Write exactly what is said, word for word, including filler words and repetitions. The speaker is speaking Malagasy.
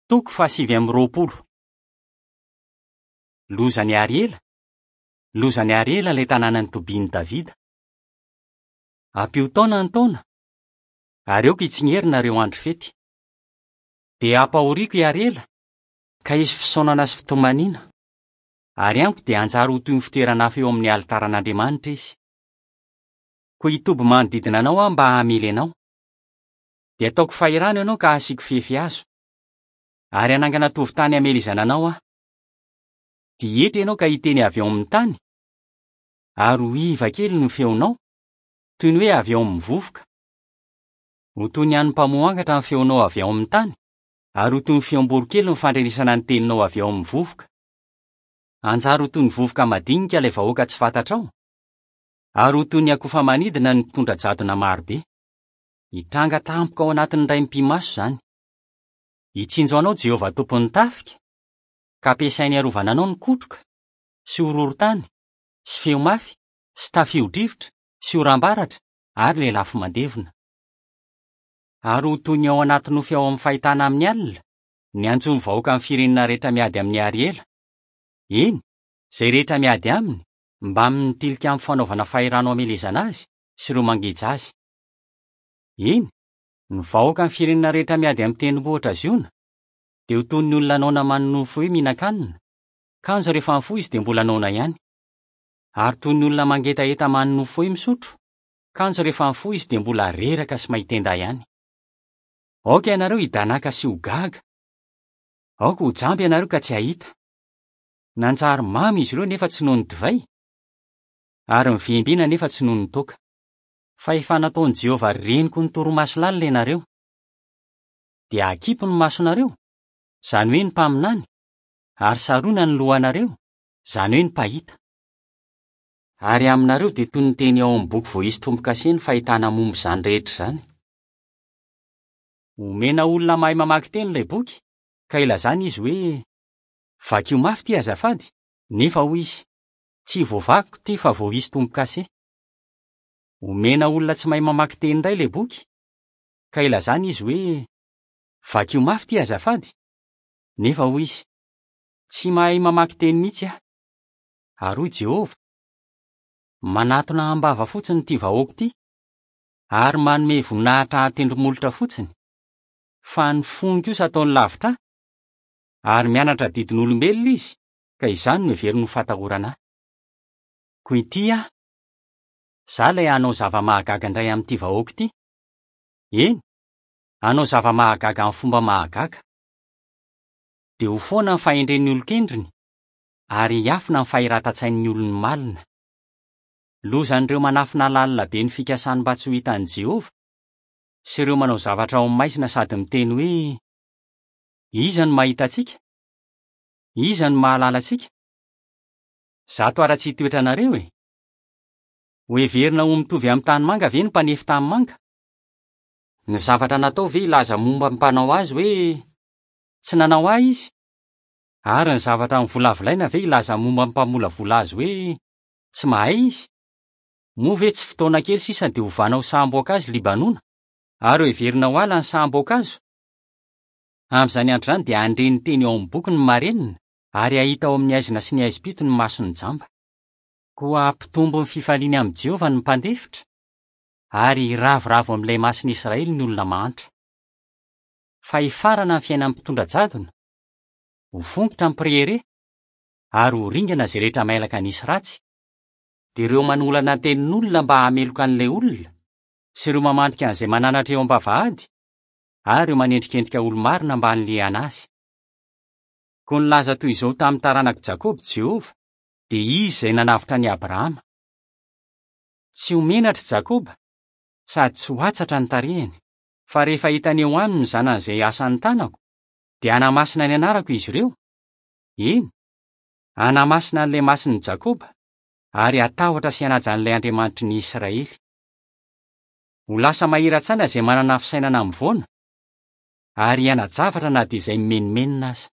Toko fahasivy amby roapolo. Lozan'i Ariela. Lozan'i Ariela ilay tanànan'ny tobian'i Davida. Ampio taona ny taona, ary aoka hitsingerina ireo andro fety. Dia hampahoriako i Ariela, ka hisy fisaonana sy fitomaniana. Ary amiko dia hanjary ho toy ny fitoeran'afo eo amin'ny alitaran'Andriamanitra izy. Koa hitoby manodidina anao aho mba hamely anao. Dia ataoko fahirano ianao ka hasiako fefy hazo. Ary hanangana tovon-tany hamelezana anao aho. Dia hietra ianao ka hiteny avy eo amin'ny tany, ary ho iva kely ny feonao, toy ny hoe avy eo amin'ny vovoka. Ho toy ny an'ny mpamoha angatra ny feonao avy ao amin'ny tany, ary ho toy ny feom-boronkely ny fandrenesana ny teninao avy ao amin'ny vovoka. Hanjary ho toy ny vovoka madinika ilay vahoaka tsy fantatrao, ary ho toy ny akofa manidina ny mpitondra jadona marobe. Hitranga tampoka ao anatin'ny iray mipi-maso izany. Hitsinjo anao Jehovah tompon'ny tafika, ka ampiasainy harovana anao ny kotroka, sy horohorontany, sy feo mafy, sy tafio-drivotra, sy oram-baratra, ary lelafo mandevona. Ary ho toy ny ao anaty nofy ao amin'ny fahitana amin'ny alina, ny antson'ny vahoaka amin'ny firenena rehetra miady amin'i Ariela. Eny, izay rehetra miady aminy, mbamin'ny tilikambo fanaovana fahirano hamelezana azy sy ireo mangeja azy. Eny, ny vahoaka amin'ny firenena rehetra miady amin'ny tendrombohitra Ziona, dia ho toy ny olona noana manonofy hoe mihinan-kanina, kanjo rehefa mifoha izy dia mbola noana ihany. Ary toy ny olona mangetaheta manonofy hoe misotro, kanjo rehefa mifoha izy dia mbola reraka sy mahitenda ihany. Aoka ianareo hidanaka sy ho gaga. Aoka ho jamba ianareo ka tsy hahita. Nanjary mamy izy ireo nefa tsy noho ny divay, ary mivimbina nefa tsy noho ny toaka. Fa efa nataon'i Jehovah reniko ny torimaso lalina ianareo. Dia akipy ny masonareo, izany hoe ny mpaminany, ary sarona ny lohanareo, izany hoe ny mpahita. Ary aminareo dia toy ny teny ao amin'ny boky voaisy tombo-kase ny fahitana momba izany rehetra izany. Omena olona mahay mamaky teny ilay boky, ka ilazana izy hoe: "Vakio mafy ity azafady", nefa hoy izy: "Tsy voavakiko ity fa voaisy tombo-kase." Omena olona tsy mahay mamaky teny indray ilay boky, ka ilazana izy hoe: "Vakio mafy ity azafady", nefa hoy izy: "Tsy mahay mamaky teny mihitsy aho." Ary hoy Jehovah: "Manatona am-bava fotsiny ity vahoaka ity, ary manome voninahitra an-tendromolotra fotsiny, fa ny fony kosa ataony lavitra ahy, ary mianatra didin'olombelona izy, ka izany no heveriny ho fahatahorana ahy. Koa ity aho, izaho ilay hanao zava-mahagaga indray amin'ity vahoaka ity. Eny, hanao zava-mahagaga amin'ny fomba mahagaga. Dia ho foana ny fahendren'ny olon-kendriny, ary hiafina ny fahiratan-tsain'ny olony malina. Lozan'ireo manafina lalina be ny fikasany mba tsy ho hitan'i Jehovah, sy ireo manao zavatra ao amin'ny maizina sady miteny hoe: "Iza no mahita antsika? Iza no mahalala antsika? Zato ara-tsy toetranareo e! Ho heverina ho mitovy amin'ny tanimanga ve ny mpanefy tanimanga? Ny zavatra natao ve hilaza momba ny mpanao azy hoe: 'Tsy nanao ahy izy'? Ary ny zavatra novolavolaina ve hilaza momba ny mpamolavola azy hoe: 'Tsy mahay izy'? Moa ve tsy fotoana kely sisa dia hovana ho saham-boankazo Libanona, ary ho heverina ho ala ny saham-boankazo? Amin'izany andro izany dia handre ny teny ao amin'ny boky ny marenina, ary hahita ao amin'ny haizina sy ny haizim-pito ny mason'ny jamba. Koa hampitombo ny fifaliany amin'i Jehovah ny mpandefitra, ary hiravoravo amin'ilay masin'i Israely ny olona mahantra. Fa hifarana ny fiainan'ny mpitondra jadona, ho fongotra ny mpirehareha, ary ho ringana izay rehetra mailaka nisy ratsy, dia ireo manolana tenin'olona mba hameloka an'ilay olona, sy ireo mamandrika an'izay mananatra eo am-bavahady, ary ireo manendrikendrika olo-marina mba hanilihana azy. Koa nilaza toy izao tamin'ny taranak'i Jakoba Jehovah, dia izy izay nanavotra an'i Abrahama. Tsy ho menatra i Jakoba, sady tsy ho atsatra ny tarehiny, fa rehefa hitany eo aminy ny zanany izay asan'ny tanako, dia hanamasina ny anarako izy ireo. Eny, hanamasina an'ilay masin'i Jakoba, ary hatahotra sy hanaja an'ilay Andriamanitry ny Israely. Ho lasa mahira-tsaina izay manana fisainana mivoana, ary hiana-javatra na dia izay mimenomenona aza.